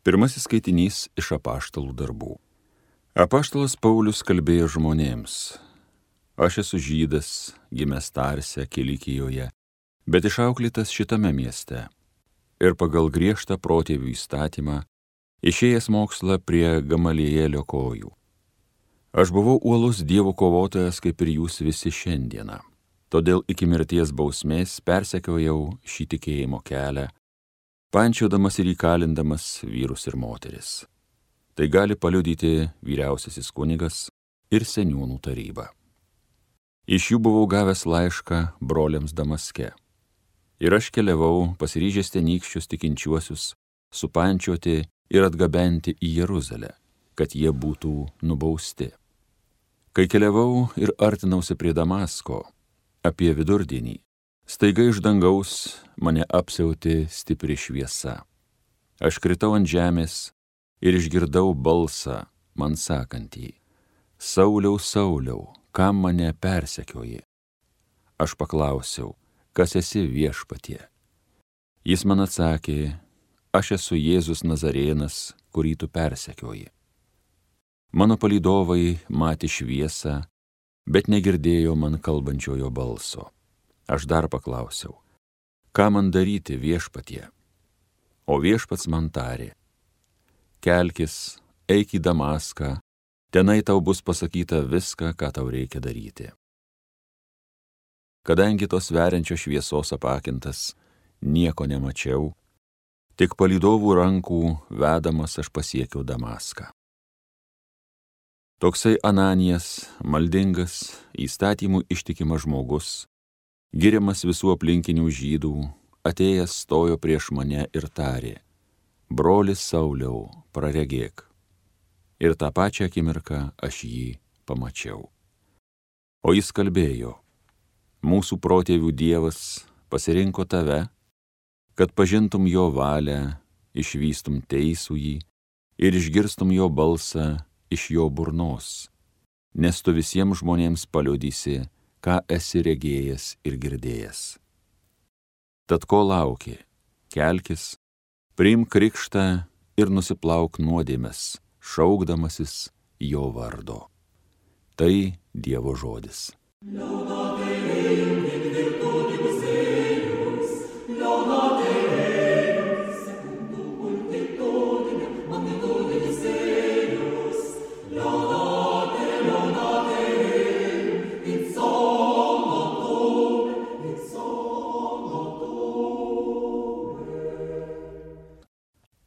Pirmasis skaitinys iš apaštalų darbų. Apaštalas Paulius kalbėjo žmonėms: Aš esu žydas, gimęs Tarse, Kilikijoje, bet išauklėtas šitame mieste. Ir pagal griežtą protėvių įstatymą, išėjęs mokslą prie Gamalielio kojų. Aš buvau uolus Dievo kovotojas, kaip ir jūs visi šiandieną. Todėl iki mirties bausmės persekiojau šį tikėjimo kelią, pančiodamas ir įkalindamas vyrus ir moteris. Tai gali paliudyti vyriausiasis kunigas ir seniūnų taryba. Iš jų buvau gavęs laišką broliams Damaske. Ir aš keliavau, pasiryžęs tenykščius tikinčiuosius supančioti ir atgabenti į Jeruzalę, kad jie būtų nubausti. Kai keliavau ir artinausi prie Damasko, apie vidurdienį, staiga iš dangaus mane apsiautė stipri šviesa. Aš kritau ant žemės ir išgirdau balsą man sakantį: Sauliau, Sauliau, kam mane persekioji? Aš paklausiau: Kas esi, Viešpatie? Jis man atsakė: Aš esu Jėzus Nazarėnas, kurį tu persekioji. Mano palydovai matė šviesą, bet negirdėjo man kalbančiojo balso. Aš dar paklausiau: Ką man daryti, Viešpatie? O Viešpats man tarė: Kelkis, eik į Damaską, tenai tau bus pasakyta viską, ką tau reikia daryti. Kadangi tos veriančios šviesos apakintas nieko nemačiau, tik palydovų rankų vedamas aš pasiekiau Damaską. Toksai Ananijas, maldingas, įstatymų ištikimas žmogus, giriamas visų aplinkinių žydų, atėjęs stojo prieš mane ir tarė: Brolis Sauliau, praregėk. Ir tą pačią akimirką aš jį pamačiau. O jis kalbėjo: Mūsų protėvių Dievas pasirinko tave, kad pažintum jo valią, išvystum teisųjį ir išgirstum jo balsą iš jo burnos, nes tu visiems žmonėms paliudysi, ką esi regėjęs ir girdėjęs. Tad ko lauki? Kelkis, priimk krikštą ir nusiplauk nuodėmes, šaukdamasis jo vardo. Tai Dievo žodis.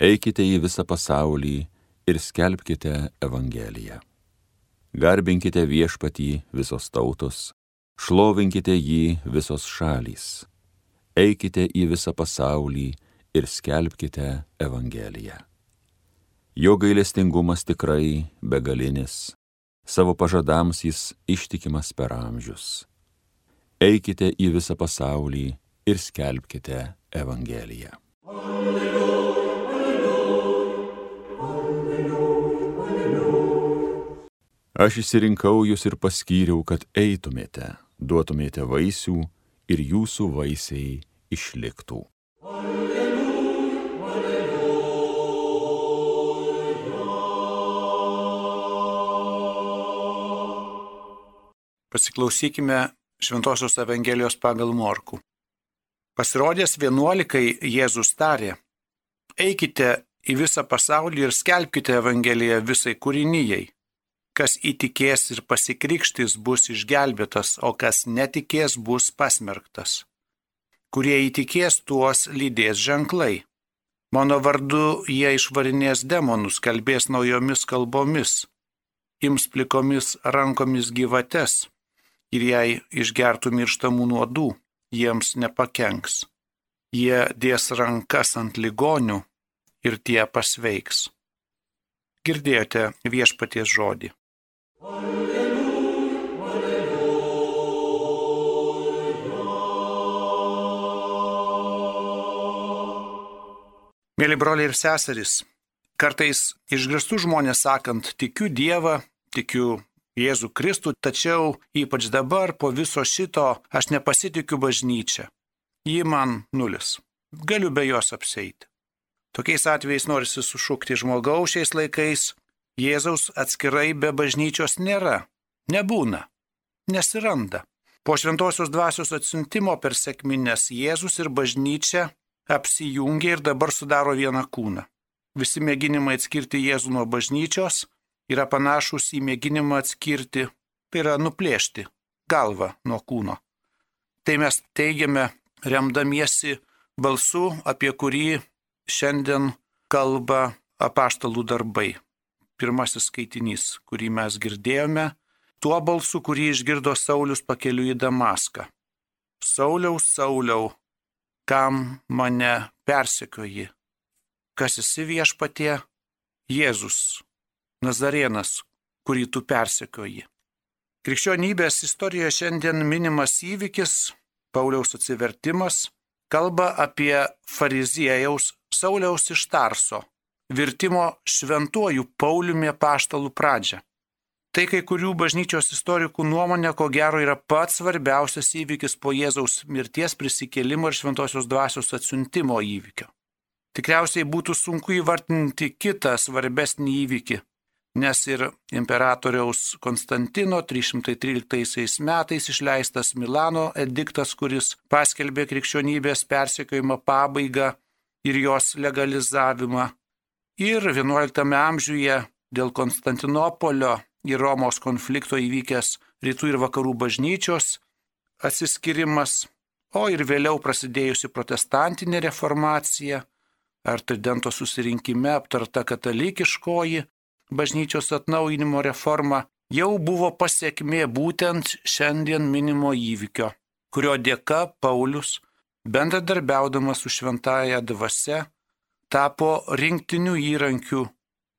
Eikite į visą pasaulį ir skelbkite Evangeliją. Garbinkite Viešpatį visos tautos, šlovinkite jį visos šalys. Eikite į visą pasaulį ir skelbkite Evangeliją. Jo gailestingumas tikrai begalinis, savo pažadams jis ištikimas per amžius. Eikite į visą pasaulį ir skelbkite Evangeliją. Aš išsirinkau jūs ir paskyriau, kad eitumėte, duotumėte vaisių ir jūsų vaisiai išliktų. Alleluja, alleluja. Pasiklausykime Šventosios Evangelijos pagal Morkų. Pasirodęs 11 Jėzus tarė: Eikite į visą pasaulį ir skelbkite Evangeliją visai kūrinijai. Kas įtikės ir pasikrikštys, bus išgelbėtas, o kas netikės, bus pasmerktas. Kurie įtikės, tuos lydės ženklai. Mano vardu jie išvarinės demonus, kalbės naujomis kalbomis, ims plikomis rankomis gyvates, ir jei išgertų mirštamų nuodų, jiems nepakenks. Jie dės rankas ant ligonių ir tie pasveiks. Girdėjote Viešpaties žodį. Alleluja, alleluja. Mėly broliai ir seserys, kartais išgirstu žmonės sakant: tikiu Dievą, tikiu Jėzų Kristų, tačiau ypač dabar po viso šito aš nepasitikiu bažnyčia. Ji man nulis. Galiu be jos apseiti. Tokiais atvejais norisi sušukti žmogaus šiais laikais, Jėzaus atskirai be bažnyčios nėra, nebūna, nesiranda. Po šventosios dvasios atsiuntimo per sekmines Jėzus ir bažnyčia apsijungia ir dabar sudaro vieną kūną. Visi mėginimai atskirti Jėzų nuo bažnyčios yra panašus į mėginimą atskirti, tai yra nuplėšti galvą nuo kūno. Tai mes teigiame remdamiesi balsu, apie kurį šiandien kalba apaštalų darbai. Pirmasis skaitinys, kurį mes girdėjome, tuo balsu, kurį išgirdo Saulius pakeliui į Damaską. Sauliau, Sauliau, kam mane persekioji? Kas esi viešpatie? Jėzus, Nazarėnas, kurį tu persekioji. Krikščionybės istorijoje šiandien minimas įvykis, Pauliaus atsivertimas, kalba apie fariziejaus Sauliaus iš Tarso virtimo šventuoju Pauliumi apaštalų pradžią. Tai kai kurių bažnyčios istorikų nuomonė, ko gero, yra pats svarbiausias įvykis po Jėzaus mirties, prisikėlimo ir šventosios dvasios atsiuntimo įvykio. Tikriausiai būtų sunku įvardinti kitą svarbesnį įvykį, nes ir imperatoriaus Konstantino 313 metais išleistas Milano ediktas, kuris paskelbė krikščionybės persekiojimo pabaigą ir jos legalizavimą, ir XI amžiuje dėl Konstantinopolio ir Romos konflikto įvykęs rytų ir vakarų bažnyčios atsiskirimas, o ir vėliau prasidėjusi protestantinė reformacija ar Tridento susirinkime aptarta katalikiškoji bažnyčios atnaujinimo reforma jau buvo pasekmė būtent šiandien minimo įvykio, kurio dėka Paulius, bendradarbiaudamas su šventąja dvasia, tapo rinktiniu įrankiu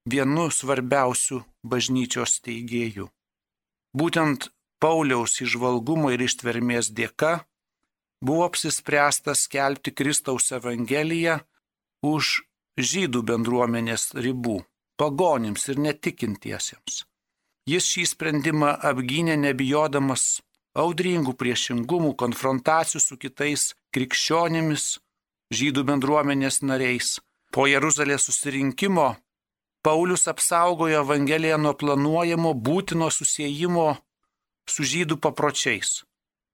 vienu svarbiausių bažnyčios steigėjų. Būtent Pauliaus įžvalgumo ir ištvermės dėka buvo apsispręsta skelbti Kristaus evangeliją už žydų bendruomenės ribų, pagonims ir netikintiesiems. Jis šį sprendimą apgynė nebijodamas audringų priešingumų, konfrontacijų su kitais krikščionimis, žydų bendruomenės nariais. Po Jeruzalės susirinkimo Paulius apsaugojo Evangeliją nuo planuojamo būtino susiejimo su žydų papročiais.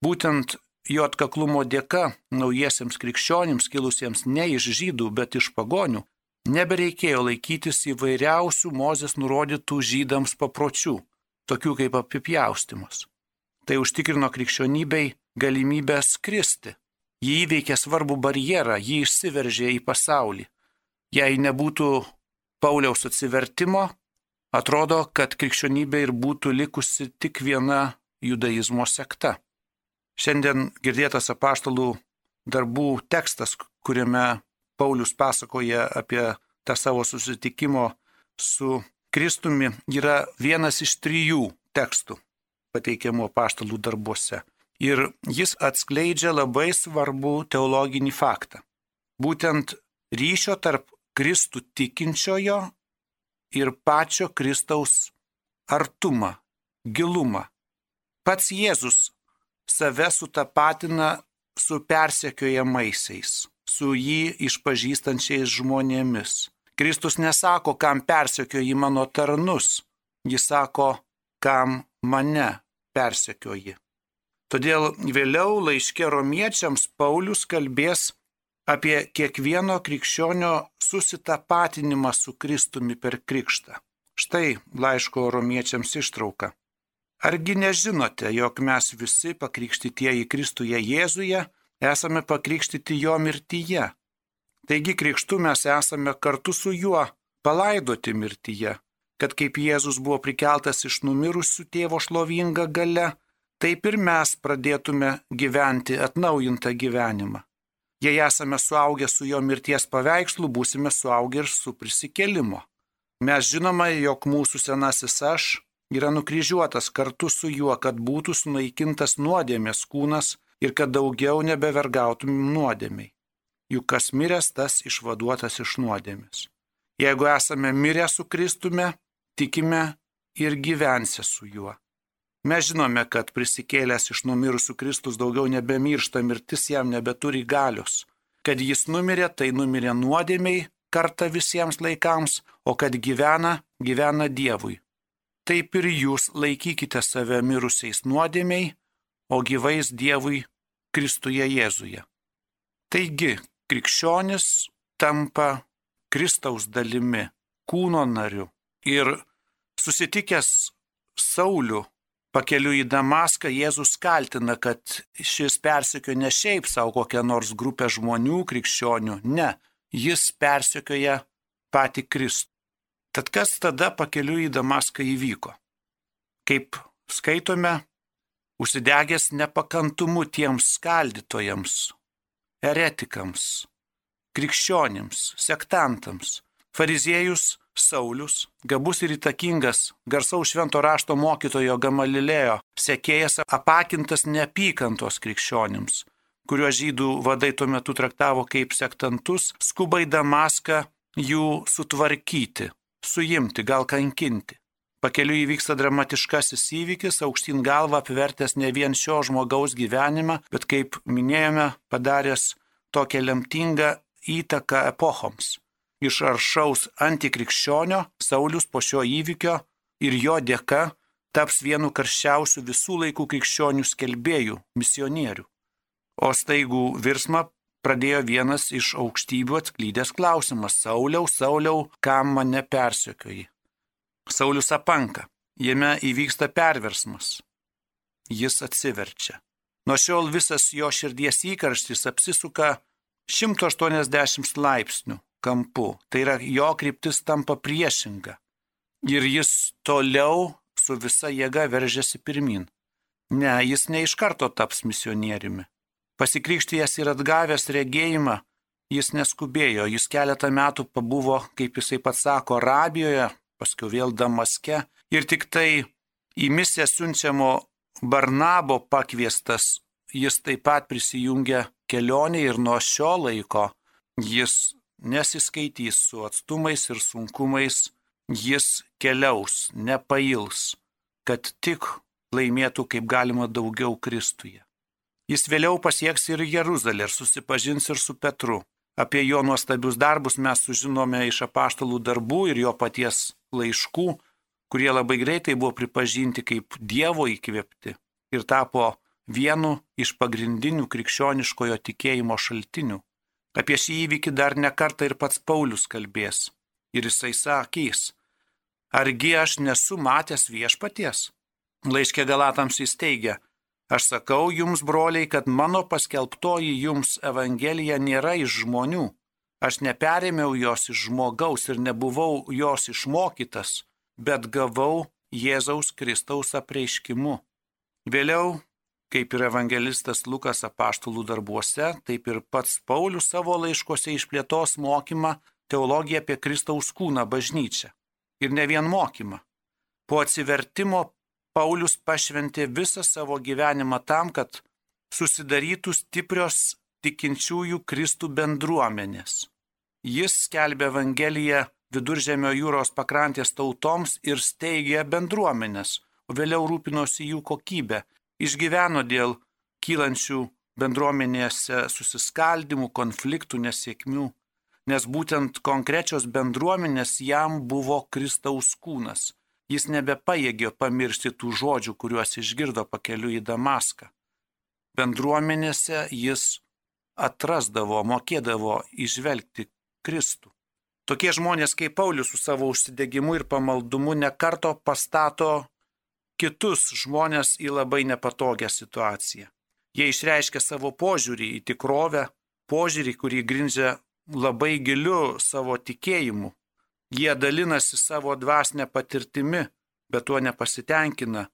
Būtent jo atkaklumo dėka naujiesiems krikščionims kilusiems ne iš žydų, bet iš pagonių, nebereikėjo laikytis įvairiausių Mozės nurodytų žydams papročių, tokių kaip apipjaustymas. Tai užtikrino krikščionybei galimybę skristi. Ji įveikė svarbų barjerą, ji išsiveržė į pasaulį. Jei nebūtų Pauliaus atsivertimo, atrodo, kad krikščionybė ir būtų likusi tik viena judaizmo sekta. Šiandien girdėtas apaštalų darbų tekstas, kuriame Paulius pasakoja apie tą savo susitikimo su Kristumi, yra vienas iš 3 tekstų pateikiamų apaštalų darbuose. Ir jis atskleidžia labai svarbų teologinį faktą. Būtent ryšio tarp Kristų tikinčiojo ir pačio Kristaus artumą, gilumą. Pats Jėzus save sutapatina su persekiojamaisiais, su jį išpažįstančiais žmonėmis. Kristus nesako, kam persekioji mano tarnus, jis sako, kam mane persekioji. Todėl vėliau laiške romiečiams Paulius kalbės apie kiekvieno krikščionio susitapatinimą su Kristumi per krikštą. Štai laiško romiečiams ištrauka. Argi nežinote, jog mes visi pakrikštytieji Kristuje Jėzuje esame pakrikštyti jo mirtyje? Taigi krikštu mes esame kartu su juo palaidoti mirtyje, kad kaip Jėzus buvo prikeltas iš numirusių tėvo šlovinga galia, taip ir mes pradėtume gyventi atnaujintą gyvenimą. Jei esame suaugę su jo mirties paveikslu, būsime suaugę ir su prisikėlimo. Mes žinome, jog mūsų senasis aš yra nukryžiuotas kartu su juo, kad būtų sunaikintas nuodėmės kūnas ir kad daugiau nebevergautumėm nuodėmiai. Juk kas miręs, tas išvaduotas iš nuodėmės. Jeigu esame mirę su Kristume, tikime ir gyvensę su juo. Mes žinome, kad prisikėlęs iš numirusių Kristus daugiau nebemiršta, mirtis jam nebeturi galios. Kad jis numirė, tai numirė nuodėmiai, kartą visiems laikams, o kad gyvena Dievui. Taip ir jūs laikykite save mirusiais nuodėmiai, o gyvais Dievui Kristuje Jėzuje. Taigi, krikščionis tampa Kristaus dalimi, kūno nariu. Ir susitikęs Saulių pakeliui į Damaską, Jėzus kaltina, kad šis persekioja ne šiaip savo kokią nors grupę žmonių, krikščionių, ne, jis persekioja patį Kristų. Tad kas tada pakeliui į Damaską įvyko? Kaip skaitome, užsidegęs nepakantumu tiems skaldytojams, eretikams, krikščionims, sektantams, fariziejus Saulius, gabus ir įtakingas, garsaus švento rašto mokytojo Gamalilėjo, sekėjas apakintas neapykantos krikščionims, kuriuos žydų vadai tuo metu traktavo kaip sektantus, skuba į Damaską jų sutvarkyti, suimti, gal kankinti. Pakeliui įvyksta dramatiškasis įvykis, aukštyn galva apvertęs ne vien šio žmogaus gyvenimą, bet, kaip minėjome, padaręs tokią lemtingą įtaką epochoms. Iš aršaus antikrikščionio Saulius po šio įvykio ir jo dėka taps vienu karščiausių visų laikų krikščionių skelbėjų, misionierių. O staigų virsmą pradėjo vienas iš aukštybių atklydęs klausimas: Sauliau, Sauliau, kam mane persekioji? Saulius apanka, jame įvyksta perversmas. Jis atsiverčia. Nuo šiol visas jo širdies įkarštis apsisuka 180 laipsnių kampu. Tai yra, jo kryptis tampa priešinga. Ir jis toliau su visa jėga veržiasi pirmin. Ne, jis ne iš karto taps misionieriumi. Pasikrikštijęs ir atgavęs regėjimą, jis neskubėjo. Jis keletą metų pabuvo, kaip jisai pats sako, Arabijoje, paskui vėl Damaske. Ir tik tai į misiją siunčiamo Barnabo pakviestas, jis taip pat prisijungia kelionė ir nuo šio laiko jis nesiskaitys su atstumais ir sunkumais, jis keliaus, nepails, kad tik laimėtų kaip galima daugiau Kristuje. Jis vėliau pasieks ir Jeruzalę ir susipažins ir su Petru. Apie jo nuostabius darbus mes sužinome iš apaštalų darbų ir jo paties laiškų, kurie labai greitai buvo pripažinti kaip Dievo įkvėpti ir tapo vienu iš pagrindinių krikščioniškojo tikėjimo šaltinių. Apie šį įvykį dar ne kartą ir pats Paulius kalbės. Ir jisai sakys: argi aš nesu matęs viešpaties? Laiške Galatams jis teigia: aš sakau jums, broliai, kad mano paskelbtoji jums evangelija nėra iš žmonių. Aš neperėmiau jos iš žmogaus ir nebuvau jos išmokytas, bet gavau Jėzaus Kristaus apreiškimu. Vėliau, kaip ir evangelistas Lukas apaštalų darbuose, taip ir pats Paulius savo laiškuose išplėtos mokymą, teologiją apie Kristaus kūną, bažnyčią. Ir ne vien mokymą. Po atsivertimo Paulius pašventė visą savo gyvenimą tam, kad susidarytų stiprios tikinčiųjų Kristų bendruomenės. Jis skelbė Evangeliją Viduržemio jūros pakrantės tautoms ir steigė bendruomenės, o vėliau rūpinosi jų kokybę. Išgyveno dėl kylančių bendruomenėse susiskaldimų, konfliktų, nesėkmių, nes būtent konkrečios bendruomenės jam buvo Kristaus kūnas. Jis nebepajėgė pamiršti tų žodžių, kuriuos išgirdo pakeliui į Damaską. Bendruomenėse jis atrasdavo, mokėdavo įžvelgti Kristų. Tokie žmonės kaip Paulius su savo užsidegimu ir pamaldumu nekarto pastato kitus žmonės į labai nepatogią situaciją. Jie išreiškia savo požiūrį į tikrovę, požiūrį, kurį grindžia labai giliu savo tikėjimu. Jie dalinasi savo dvasinę patirtimi, bet tuo nepasitenkina.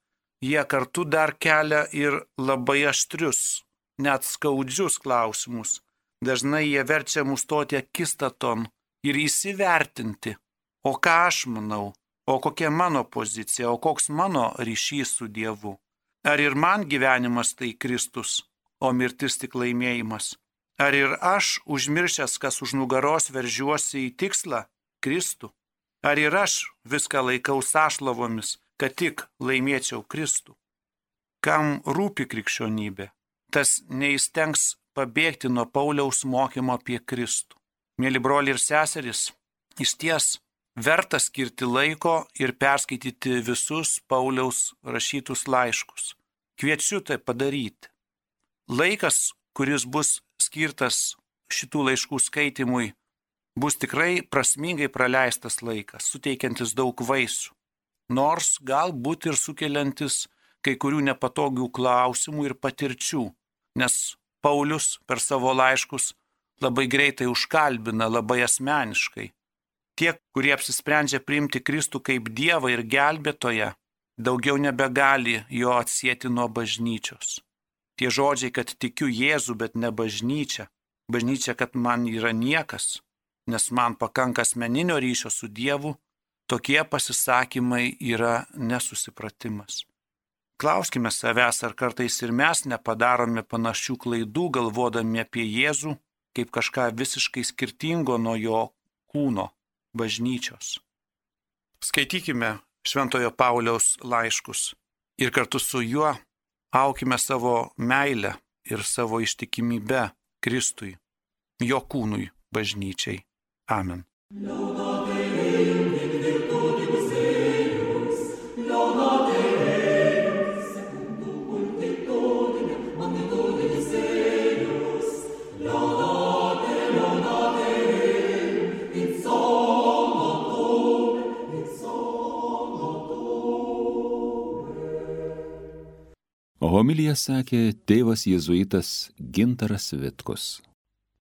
Jie kartu dar kelia ir labai aštrius, net skaudžius klausimus. Dažnai jie verčia mus stoti akistaton ir įsivertinti, o ką aš manau, o kokia mano pozicija, o koks mano ryšys su Dievu. Ar ir man gyvenimas tai Kristus, o mirtis tik laimėjimas? Ar ir aš, užmiršęs, kas už nugaros, veržiuosi į tikslą, Kristų? Ar ir aš viską laikau sąšlavomis, kad tik laimėčiau Kristų? Kam rūpi krikščionybė, tas neįstengs pabėgti nuo Pauliaus mokymo apie Kristų. Mėly broliai ir seserys, išties verta skirti laiko ir perskaityti visus Pauliaus rašytus laiškus. Kviečiu tai padaryti. Laikas, kuris bus skirtas šitų laiškų skaitimui, bus tikrai prasmingai praleistas laikas, suteikiantis daug vaisių, nors galbūt ir sukeliantis kai kurių nepatogių klausimų ir patirčių, nes Paulius per savo laiškus labai greitai užkalbina, labai asmeniškai. Tie, kurie apsisprendžia priimti Kristų kaip Dievą ir gelbėtoją, daugiau nebegali jo atsieti nuo bažnyčios. Tie žodžiai, kad tikiu Jėzų, bet ne bažnyčia. Bažnyčia, kad man yra niekas, nes man pakanka asmeninio ryšio su Dievu, tokie pasisakymai yra nesusipratimas. Klauskime savęs, ar kartais ir mes nepadarome panašių klaidų, galvodami apie Jėzų kaip kažką visiškai skirtingo nuo jo kūno, bažnyčios. Skaitykime Šventojo Pauliaus laiškus ir kartu su juo aukime savo meilę ir savo ištikimybę Kristui, jo kūnui, bažnyčiai. Amen. Homiliją sakė tėvas jėzuitas Gintaras Vitkus.